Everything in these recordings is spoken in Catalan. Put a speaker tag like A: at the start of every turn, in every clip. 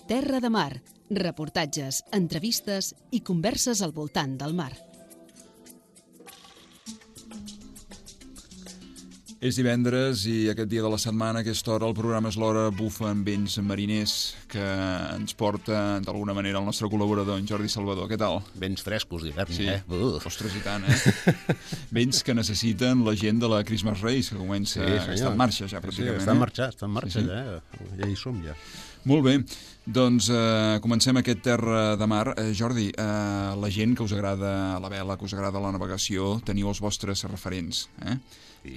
A: Terra de Mar, reportatges, entrevistes i converses al voltant del mar.
B: És divendres i aquest dia de la setmana, a aquesta hora, el programa És l'Hora bufa amb vents mariners que ens porta d'alguna manera el nostre col·laborador, en Jordi Salvador. Què tal?
C: Vents frescos d'hivern,
B: Sí.
C: Uf.
B: Ostres, i tant, Vents que necessiten la gent de la Christmas Race, que comença, que està en marxa ja, pràcticament.
C: Sí, està en marxa, ja. Ja hi som, ja.
B: Molt bé, doncs comencem aquest Terra de Mar. Jordi, la gent que us agrada la vela, que us agrada la navegació, teniu els vostres referents, Sí.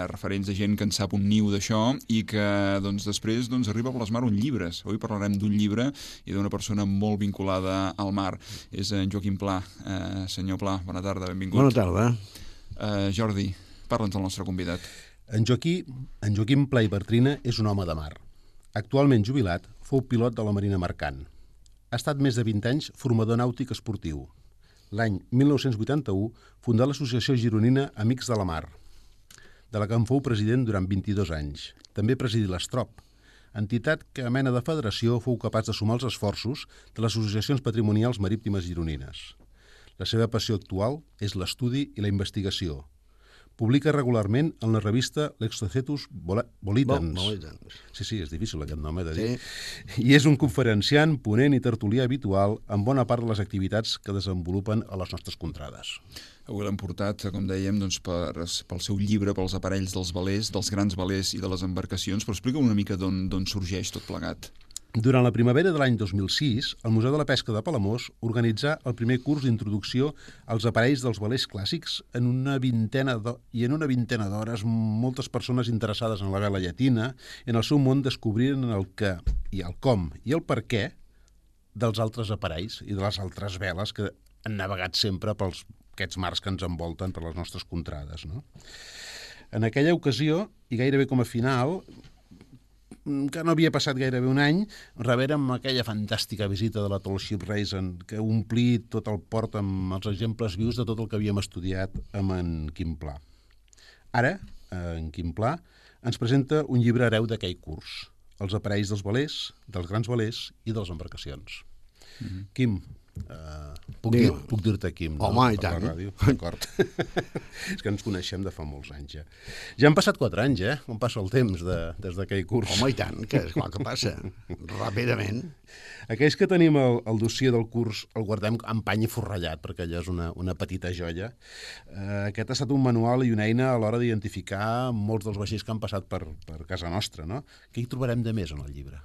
B: Referents de gent que en sap un niu d'això i que doncs, després arriba a plasmar un llibre. Avui parlarem d'un llibre i d'una persona molt vinculada al mar. És en Joaquim Pla. Senyor Pla, bona tarda, benvingut.
D: Bona tarda.
B: Jordi, parla'ns del nostre convidat.
C: En Joaquim Pla i Bartrina és un home de mar. Actualment jubilat, fou pilot de la Marina Mercant. Ha estat més de 20 anys formador nàutic esportiu. L'any 1981 fundà l'Associació Gironina Amics de la Mar, de la que en fou president durant 22 anys. També presidí l'Estrop, entitat que a mena de federació fou capaç de sumar els esforços de les associacions patrimonials marítimes gironines. La seva passió actual és l'estudi i la investigació. Publica regularment en la revista L'Exocetus Volitans. Sí, és difícil aquest nom, de dir. Sí. I és un conferenciant, ponent i tertulià habitual en bona part de les activitats que desenvolupen a les nostres contrades.
B: Avui l'hem portat, com dèiem, pel seu llibre, pels aparells dels velers, dels grans velers i de les embarcacions, però explica una mica d'on sorgeix tot plegat.
C: Durant la primavera de l'any 2006, el Museu de la Pesca de Palamós organitzà el primer curs d'introducció als aparells dels velers clàssics i en una vintena d'hores moltes persones interessades en la vela llatina i en el seu món descobriren el què i el com i el per què dels altres aparells i de les altres veles que han navegat sempre pels aquests mars que ens envolten per les nostres contrades, no? En aquella ocasió, i gairebé com a final, que no havia passat gairebé un any, rebérem aquella fantàstica visita de la Tall Ship Race que omplí tot el port amb els exemples vius de tot el que havíem estudiat amb en Quim Pla. Ara, en Quim Pla ens presenta un llibre hereu d'aquell curs, els aparells dels velers, dels grans velers i de les embarcacions. Quim, puc dir-te Quim, no?
D: Home, i tant.
C: D'acord. És que ens coneixem de fa molts anys, ja. Ja han passat 4 anys, com passa el temps des d'aquell curs.
D: Home, i tant, que és clar que passa, ràpidament.
C: Aquells que tenim el dossier del curs el guardem amb pany i forrellat, perquè allò és una petita joia. Aquest ha estat un manual i una eina a l'hora d'identificar molts dels vaixells que han passat per casa nostra, no? Què hi trobarem de més en el llibre?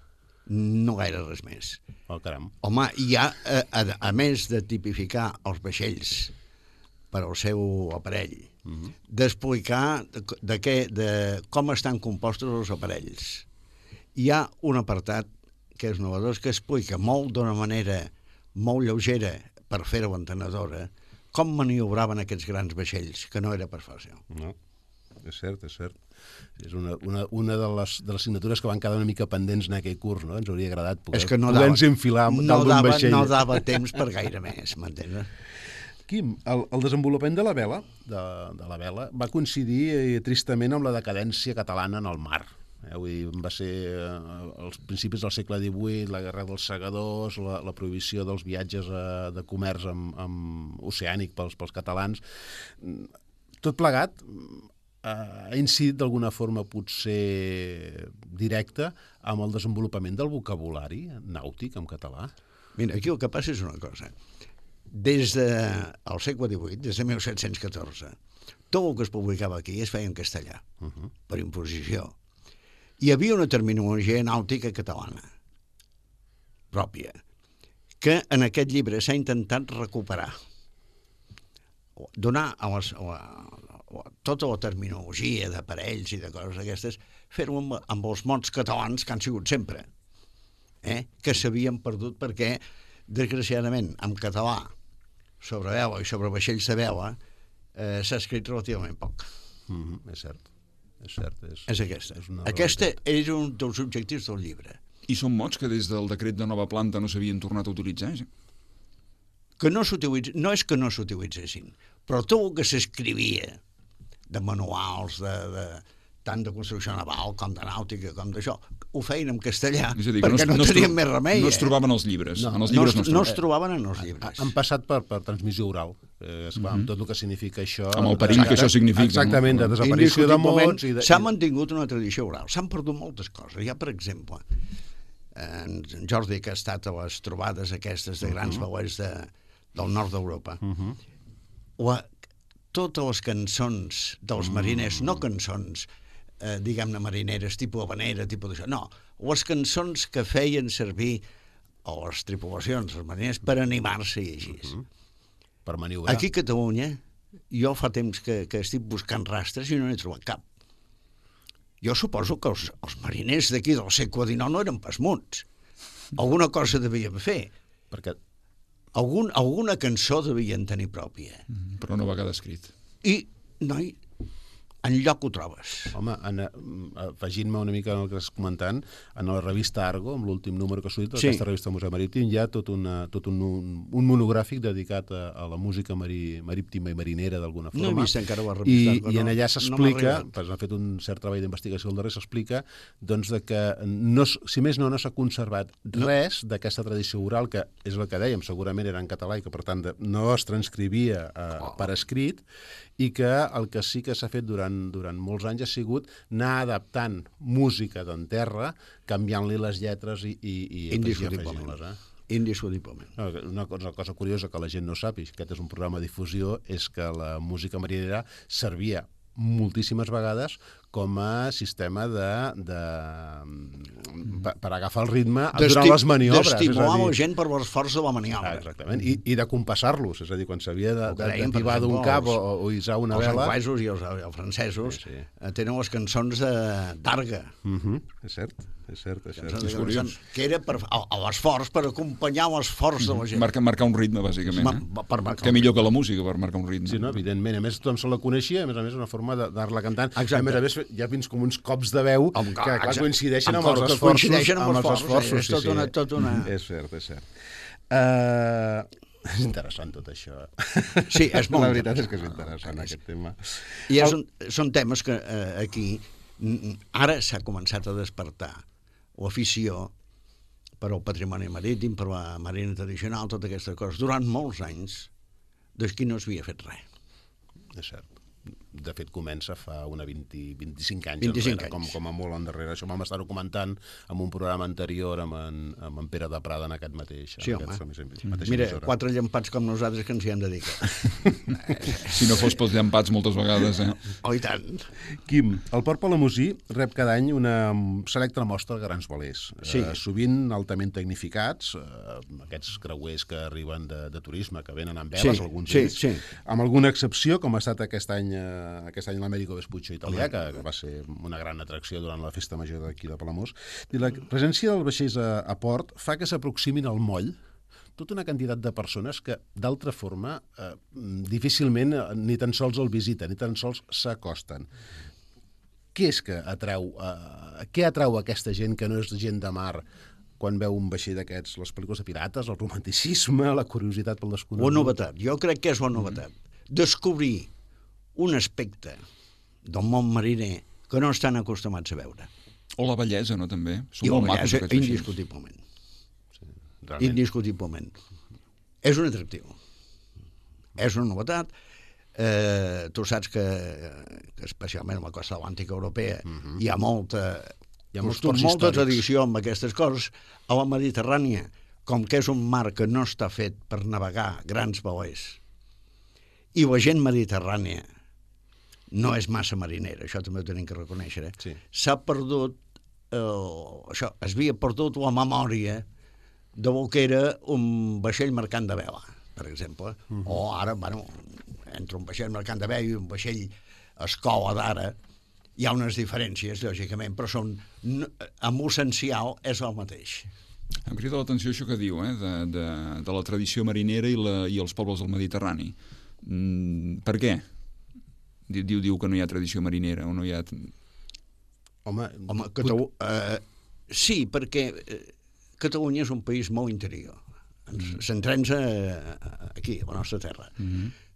D: No gaire res més.
C: Oh, caram.
D: Home, hi ha, a més de tipificar els vaixells per al seu aparell, d'explicar de com estan compostos els aparells. Hi ha un apartat que és novedós, que explica d'una manera molt lleugera, per fer-ho entenedora, com maniobraven aquests grans vaixells, que no era per fàcil.
C: No, és cert. És una de les assignatures que van quedar una mica pendents en aquell curs, no? Ens hauria agradat poder-nos enfilar dalt d'un vaixell.
D: No dava temps per gaire més, m'entens?
C: Quim, el desenvolupament de la vela va coincidir tristament amb la decadència catalana en el mar. Va ser als principis del segle XVIII, la guerra dels segadors, la prohibició dels viatges de comerç oceànic pels catalans. Tot plegat ha incidit d'alguna forma potser directa amb el desenvolupament del vocabulari nàutic en català?
D: Mira, aquí el que passa és una cosa. Des del segle XVIII, des de 1714, tot el que es publicava aquí es feia en castellà, per imposició. Hi havia una terminologia nàutica catalana, pròpia, que en aquest llibre s'ha intentat recuperar, donar tota la terminologia d'aparells i de coses aquestes, fer-ho amb els mots catalans que han sigut sempre, que s'havien perdut perquè, desgraciadament, en català, sobre vela i sobre vaixells de vela, s'ha escrit relativament poc.
C: És cert.
D: És aquesta. Aquesta és un dels objectius del llibre.
B: I són mots que des del decret de nova planta no s'havien tornat a utilitzar?
D: Que no s'utilitzessin, no és que no s'utilitzessin, però tot el que s'escrivia de manuals, tant de construcció naval com de nàutica, com d'això, ho feien en castellà,
B: És a dir,
D: perquè no tenien més remei.
B: No es trobaven els llibres.
C: No,
B: En els llibres
D: no es trobaven en els llibres.
C: Han passat per transmissió oral, esclar, amb tot el que significa això.
B: Amb el perill que això significa.
C: Exactament, de desaparició de mots.
D: S'ha mantingut una tradició oral. S'han perdut moltes coses. Hi ha, per exemple, en Jordi, que ha estat a les trobades aquestes de grans veuers del nord d'Europa, totes les cançons dels mariners, no cançons, diguem-ne, marineres, tipus habanera, tipus d'això, no, les cançons que feien servir a les tripulacions, els mariners, per animar-se i així.
C: Per maniobrar.
D: Aquí a Catalunya, jo fa temps que estic buscant rastres i no n'he trobat cap. Jo suposo que els mariners d'aquí del segle XIX no eren pas muts. Alguna cosa devien fer.
C: Perquè
D: Alguna cançó devien tenir pròpia.
B: Però no va quedar escrit.
D: I, noi, enlloc ho trobes.
C: Home, afegint-me una mica en el que estàs comentant, en la revista Argo, amb l'últim número que ha sortit, aquesta revista del Museu Marítim, hi ha tot un monogràfic dedicat a la música marítima i marinera, d'alguna forma.
D: No he vist encara la revista Argo.
C: I en allà s'explica, ha fet un cert treball d'investigació al darrer, s'explica doncs, que si més no s'ha conservat res d'aquesta tradició oral, que és el que dèiem, segurament era en català i que, per tant, no es transcrivia per escrit, i que el que sí que s'ha fet durant molts anys ha sigut anar adaptant música d'en terra, canviant-li les lletres i afegint-les.
D: Indiscutiblement.
C: Una cosa curiosa que la gent no sap, i aquest és un programa de difusió, és que la música marinera servia moltíssimes vegades com a sistema per agafar el ritme durant les maniobres.
D: D'estimular la gent per l'esforç de la maniobra.
C: Exactament, i de compassar-los, és a dir, quan s'havia d'activar d'un cap o hissar una vela...
D: Els anglesos i els francesos tenen les cançons d'Arga.
C: És cert. És
B: curiós.
D: Que era l'esforç, per acompanyar l'esforç de la gent.
B: Marcar un ritme, bàsicament. Que millor que la música per marcar un ritme.
C: Sí, no, evidentment. A més, tothom se la coneixia, a més, una forma d'anar-la cantant. A més a més, hi ha fins com uns cops de veu que coincideixen amb els esforços.
D: És tot una...
C: És cert. És interessant tot això.
D: Sí, és molt.
C: La veritat és que és interessant aquest tema.
D: I són temes que aquí ara s'ha començat a despertar l'afició per al patrimoni marítim, per la marina tradicional, totes aquestes coses. Durant molts anys, d'aquí no s'havia fet res.
C: És cert. De fet, comença fa 25 anys
D: 25
C: enrere, com a molt endarrere. Això vam estar-ho comentant en un programa anterior amb en Pere de Prada en aquest mateix.
D: Sí, home. Mira, 4 llampats com nosaltres que ens hi hem dedicat.
B: Si no fos pels llampats moltes vegades,
D: Oh, i tant.
C: Quim, el Port Palamosí rep cada any una selecta mostra de grans velers.
D: Sí.
C: Sovint altament tecnificats, aquests creuers que arriben de turisme, que venen amb veles, alguns d'ells. Amb alguna excepció, com ha estat aquest any l'Américo Vespuccio italià, que va ser una gran atracció durant la festa major d'aquí de Palamós. La presència dels vaixells a port fa que s'aproximin al moll tota una quantitat de persones que, d'altra forma, difícilment ni tan sols el visiten, ni tan sols s'acosten. Què és que què atrau aquesta gent que no és gent de mar quan veu un vaixell d'aquests? Les pel·lícules de pirates, el romanticisme, la curiositat pel desconegut?
D: La novetat. Jo crec que és la novetat. Descobrir un aspecte del món mariner que no estan acostumats a veure.
B: O la bellesa, no, també?
D: I la bellesa, indiscutiblement. Indiscutiblement. És un atractiu. És una novetat. Tu saps que especialment a la costa atlàntica europea hi ha molta tradició amb aquestes coses. A la Mediterrània, com que és un mar que no està fet per navegar grans velers, i la gent mediterrània no és massa marinera, això també ho tenim que reconèixer, s'ha perdut, es havia perdut la memòria de que era un vaixell mercant de vela, per exemple, o ara, entre un vaixell mercant de vela i un vaixell escola d'ara, hi ha unes diferències, lògicament, però amb l'essencial és el mateix.
B: Em crida l'atenció això que diu, de la tradició marinera i els pobles del Mediterrani. Per què? Diu que no hi ha tradició marinera o no hi ha...
D: Sí, perquè Catalunya és un país molt interior. Centrem-nos aquí, a la nostra terra.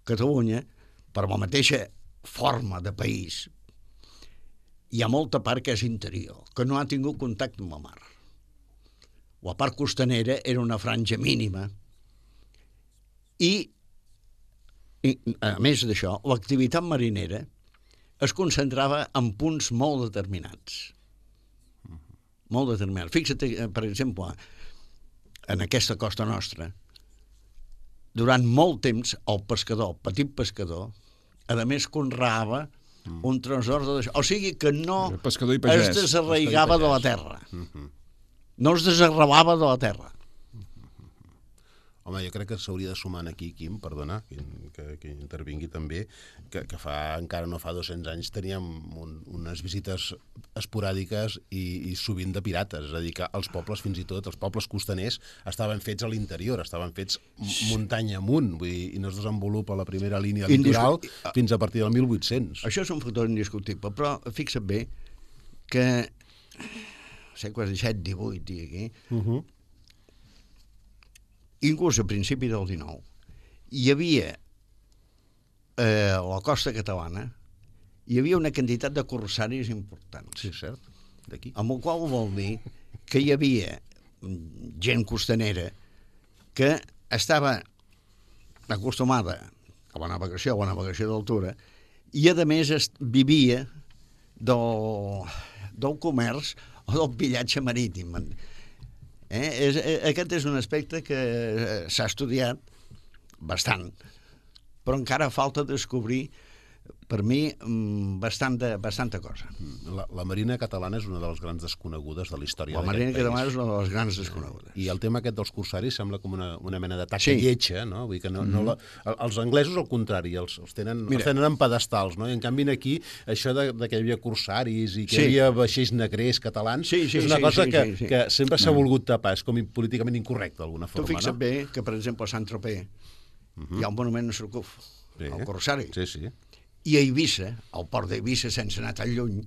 D: Catalunya, per la mateixa forma de país, hi ha molta part que és interior, que no ha tingut contacte amb la mar. La part costanera era una franja mínima i a més d'això, l'activitat marinera es concentrava en punts molt determinats. Molt determinats. Fixa't, per exemple, en aquesta costa nostra, durant molt temps, el pescador, el petit pescador, a més conreava un tresor de... O sigui que no es desarraigava de la terra. No es desarrelava de la terra.
C: Home, jo crec que s'hauria de sumar aquí, Quim, perdona, que intervingui també, que encara no fa 200 anys teníem unes visites esporàdiques i sovint de pirates, és a dir, que els pobles, fins i tot, els pobles costaners, estaven fets a l'interior, estaven fets muntanya amunt, vull dir, i no es desenvolupa la primera línia litoral fins a partir del 1800.
D: Això és un factor indiscutible, però fixa't bé que segles XVII, XVIII, i aquí, inclús a principi del XIX, hi havia a la costa catalana hi havia una quantitat de corsaris importants.
C: Sí, cert, d'aquí.
D: Amb el qual vol dir que hi havia gent costanera que estava acostumada a la navegació d'altura i, a més, vivia del comerç o del pillatge marítim. Aquest és un aspecte que s'ha estudiat bastant, però encara falta descobrir, per mi, bastanta cosa.
C: La marina catalana és una de les grans desconegudes de la història d'aquest país.
D: La marina catalana és una de les grans desconegudes.
C: I el tema aquest dels corsaris sembla com una mena de taca lletja, no? Vull dir que els anglesos, al contrari, els tenen en pedestals, no? I en canvi aquí, això que hi havia corsaris i que hi havia vaixells negrers catalans, és una cosa que sempre s'ha volgut tapar, és com políticament incorrecte, d'alguna forma.
D: Tu fixa't bé que, per exemple, a Saint-Tropez hi ha un monument a Surcouf, el corsari.
C: Sí, sí.
D: I a Eivissa, al port d'Eivissa, sense anar tan lluny,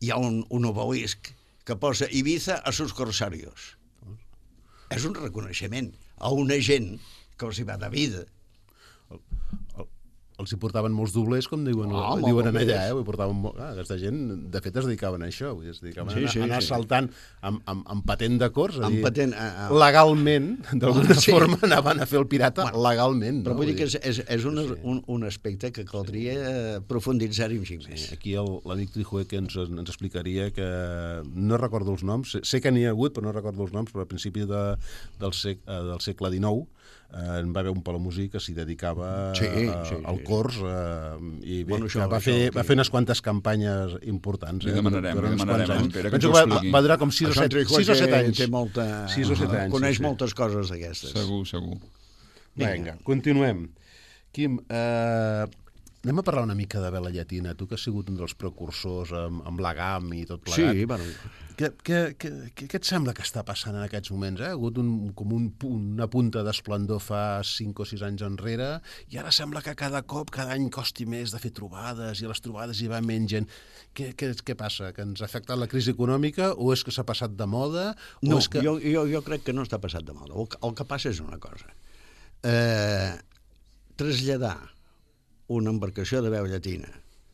D: hi ha un obelisc que posa Ibiza a sus corsarios. És un reconeixement a una gent que els hi va de vida.
C: Els hi portaven molts doblers, com diuen allà, aquesta gent, de fet, es dedicaven a això, es dedicaven a anar saltant amb patent de cors, legalment, d'alguna forma, anaven a fer el pirata legalment.
D: Però vull dir que és un aspecte que caldria profunditzar-hi un xic més.
C: Aquí l'amic Trijué que ens explicaria que no recordo els noms, sé que n'hi ha hagut, però no recordo els noms, però a principi del segle XIX en va haver un palamúsic que s'hi dedicava al cors i bé, va fer unes quantes campanyes importants.
B: Li demanarem Pere, que
C: ens ho expliqui. Va durar com 6 o 7 anys.
D: 6 o 7 anys. Coneix moltes coses d'aquestes.
B: Segur.
C: Vinga, continuem. Quim, anem a parlar una mica de vela llatina. Tu que has sigut un dels precursors amb l'agam i tot plegat.
D: Sí, bueno.
C: Què et sembla que està passant en aquests moments? Ha hagut una punta d'esplendor fa 5 o 6 anys enrere i ara sembla que cada any costi més de fer trobades i a les trobades hi va menys gent. Què passa? Que ens ha afectat la crisi econòmica o és que s'ha passat de moda?
D: No, jo crec que no està passat de moda. El que passa és una cosa. Traslladar una embarcació de veu llatina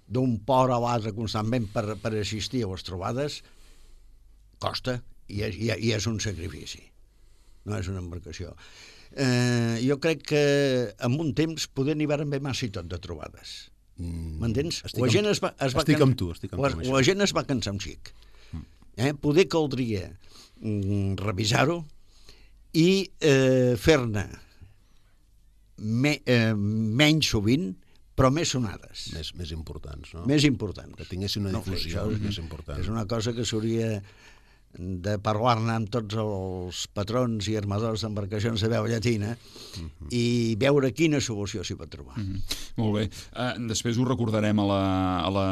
D: d'un port a l'altre constantment per assistir a les trobades costa i és un sacrifici. No és una embarcació. Jo crec que en un temps poder n'hi van haver massa i tot de trobades. M'entens?
C: Estic amb tu.
D: La gent es va cansar un xic. Poder caldria revisar-ho i fer-ne menys sovint, però més sonades.
C: Més importants, no?
D: Més importants.
C: Que tinguessin una difusió més important.
D: És una cosa que s'hauria de parlar-ne amb tots els patrons i armadors d'embarcacions de veu llatina i veure quina solució s'hi pot trobar.
B: Molt bé. Després ho recordarem a la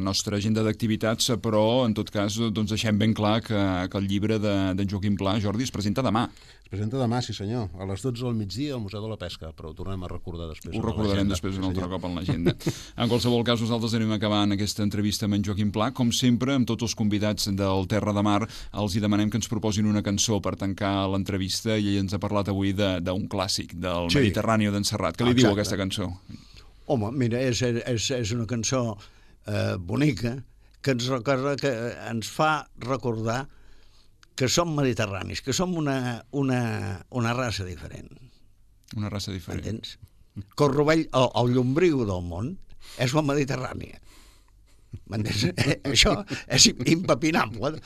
B: nostra agenda d'activitats, però en tot cas doncs deixem ben clar que el llibre d'en Joaquim Pla, Jordi, es presenta demà.
C: Es presenta demà, sí senyor, a les 12 del migdia al Museu de la Pesca, però ho tornem a recordar després.
B: Ho recordarem després un altre cop en l'agenda. En qualsevol cas, nosaltres anem acabant aquesta entrevista amb en Joaquim Pla. Com sempre, amb tots els convidats del Terra de Mar, els hi demanem que ens proposin una cançó per tancar l'entrevista i ell ens ha parlat avui d'un clàssic, del Mediterrani d'en Serrat. Què li diu aquesta cançó?
D: Home, mira, és una cançó bonica, que ens fa recordar que som mediterranis, que som una raça diferent.
B: Una raça diferent.
D: Entens? Que el rovell, el llombriu del món, és la Mediterrània. M'entens? Això és impepinable.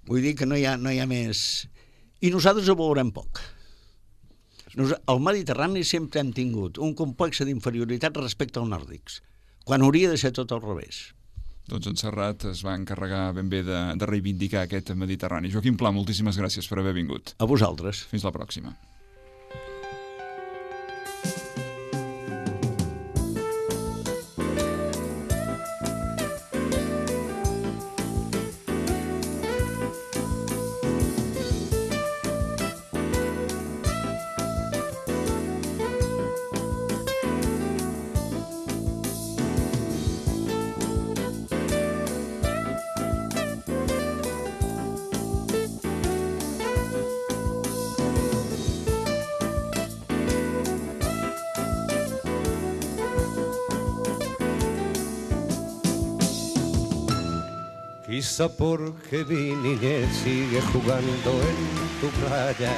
D: Vull dir que no hi ha més... I nosaltres ho veurem poc. Al Mediterrani sempre hem tingut un complex d'inferioritat respecte als nòrdics, quan hauria de ser tot al revés.
B: Doncs en Serrat es va encarregar ben bé de reivindicar aquest Mediterrani. Joaquim Pla, moltíssimes gràcies per haver vingut.
D: A vosaltres.
B: Fins la pròxima.
E: Quizá porque mi niñez sigue jugando en tu playa,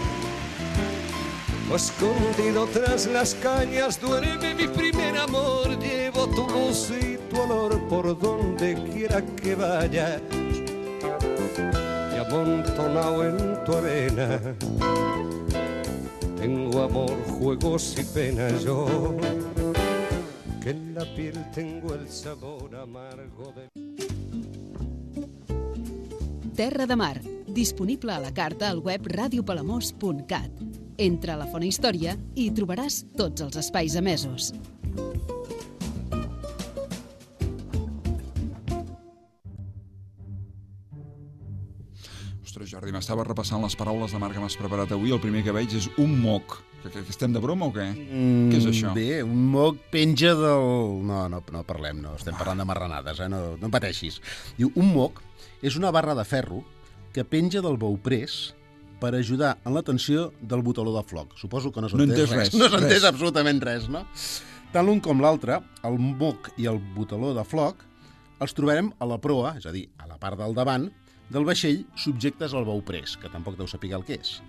E: o escondido tras las cañas duerme mi primer amor. Llevo tu luz y tu olor por donde quiera que vaya, y amontonado en tu arena tengo amor, juegos y penas yo, que en la piel tengo el sabor amargo de...
A: Terra de Mar, disponible a la carta al web radiopalamós.cat. Entra a la Font Història i hi trobaràs tots els espais emesos.
B: Ostres, Jordi, m'estava repassant les paraules de mar que m'has preparat avui. El primer que veig és un moc. Que estem de broma o què? Què és això?
C: Bé, un moc penja del... No parlem, no. Estem parlant de marranades, no pateixis. Diu, un moc és una barra de ferro que penja del bauprès per ajudar en la tensió del botaló de floc. Suposo que no s'ha entès res. No s'ha entès absolutament res, no? Tant l'un com l'altre, el moc i el botaló de floc, els trobarem a la proa, és a dir, a la part del davant, del vaixell subjectes al bauprès, que tampoc deu saber el que és.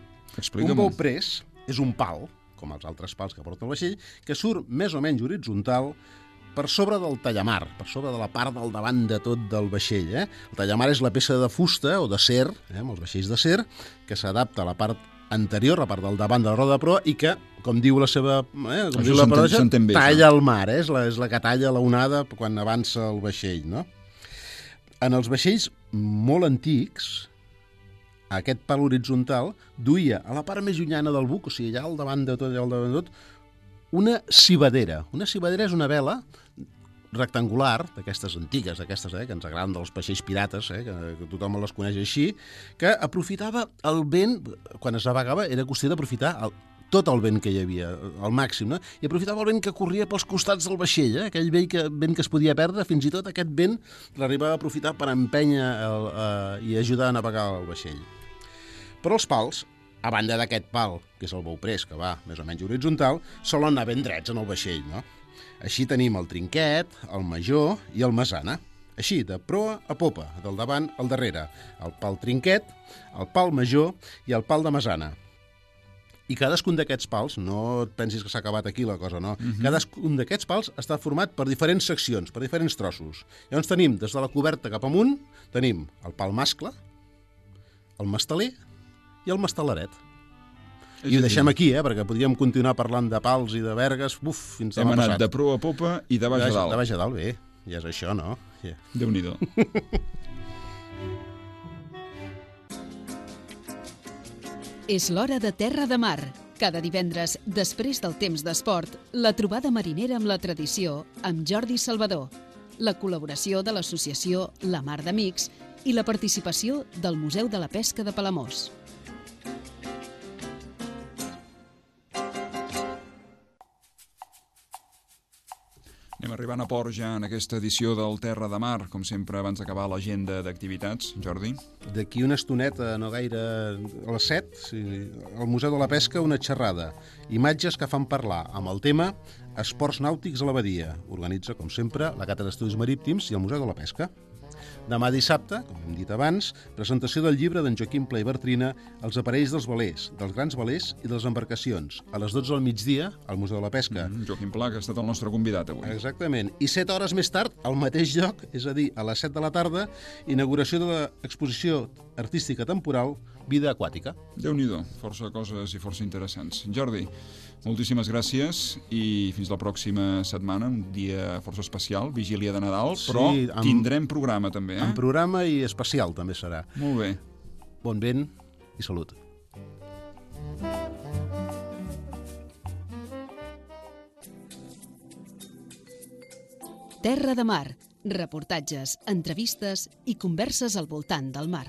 B: Explica'm.
C: Un bauprès és un pal, com els altres pals que porta el vaixell, que surt més o menys horitzontal per sobre del tallamar, per sobre de la part del davant de tot del vaixell. El tallamar és la peça de fusta o d'acer, amb els vaixells d'acer, que s'adapta a la part anterior, la part del davant de la roda de proa, i que, com diu la seva... talla el mar, és la que talla la onada quan avança el vaixell, no? En els vaixells molt antics, aquest pal horitzontal duia a la part més llunyana del buc, o sigui, allà al davant de tot, una cibadera. Una cibadera és una vela rectangular, d'aquestes antigues, d'aquestes que ens agraden dels vaixells pirates, que tothom les coneix així, que aprofitava el vent, quan es navegava, era qüestió d'aprofitar tot el vent que hi havia, al màxim, no? I aprofitava el vent que corria pels costats del vaixell, aquell vent que es podia perdre, fins i tot aquest vent l'arribava a aprofitar per empènyer i ajudar a navegar el vaixell. Però els pals, a banda d'aquest pal, que és el bauprès, que va més o menys horitzontal, solen anar ben drets en el vaixell, no? Així tenim el trinquet, el major i el mesana. Així, de proa a popa, del davant al darrere. El pal trinquet, el pal major i el pal de mesana. I cadascun d'aquests pals, no et pensis que s'ha acabat aquí la cosa, no. Cadascun d'aquests pals està format per diferents seccions, per diferents trossos. Llavors tenim, des de la coberta cap amunt, tenim el pal mascle, el masteler i el mastelaret. I ho deixem aquí, perquè podríem continuar parlant de pals i de vergues, fins demà passat.
B: Hem anat de proa a popa i de baix a dalt.
C: De baix a dalt, bé. Ja és això, no? Yeah.
B: Déu-n'hi-do.
A: És l'hora de Terra de Mar. Cada divendres, després del temps d'esport, la trobada marinera amb la tradició amb Jordi Salvador, la col·laboració de l'associació La Mar d'Amics i la participació del Museu de la Pesca de Palamós.
B: Anem arribant a port ja en aquesta edició del Terra de Mar, com sempre abans d'acabar l'agenda d'activitats. Jordi?
C: D'aquí una estoneta, no gaire, a les 7, al Museu de la Pesca, una xerrada. Imatges que fan parlar amb el tema Esports nàutics a la badia. Organitza, com sempre, la Càtedra d'Estudis Marítims i el Museu de la Pesca. Demà dissabte, com hem dit abans, presentació del llibre d'en Joaquim Pla i Bartrina, Els aparells dels velers, dels grans velers i de les embarcacions. A les 12 del migdia, al Museu de la Pesca.
B: Joaquim Pla, que ha estat el nostre convidat avui.
C: Exactament. I 7 hores més tard, al mateix lloc, és a dir, a les 7 de la tarda, inauguració de l'exposició artística temporal Vida aquàtica.
B: Déu-n'hi-do, força coses i força interessants. Jordi, moltíssimes gràcies i fins la pròxima setmana, un dia força especial, vigília de Nadal, però tindrem programa també.
C: En programa i especial també serà.
B: Molt bé.
C: Bon vent i salut.
A: Terra de Mar, reportatges, entrevistes i converses al voltant del mar.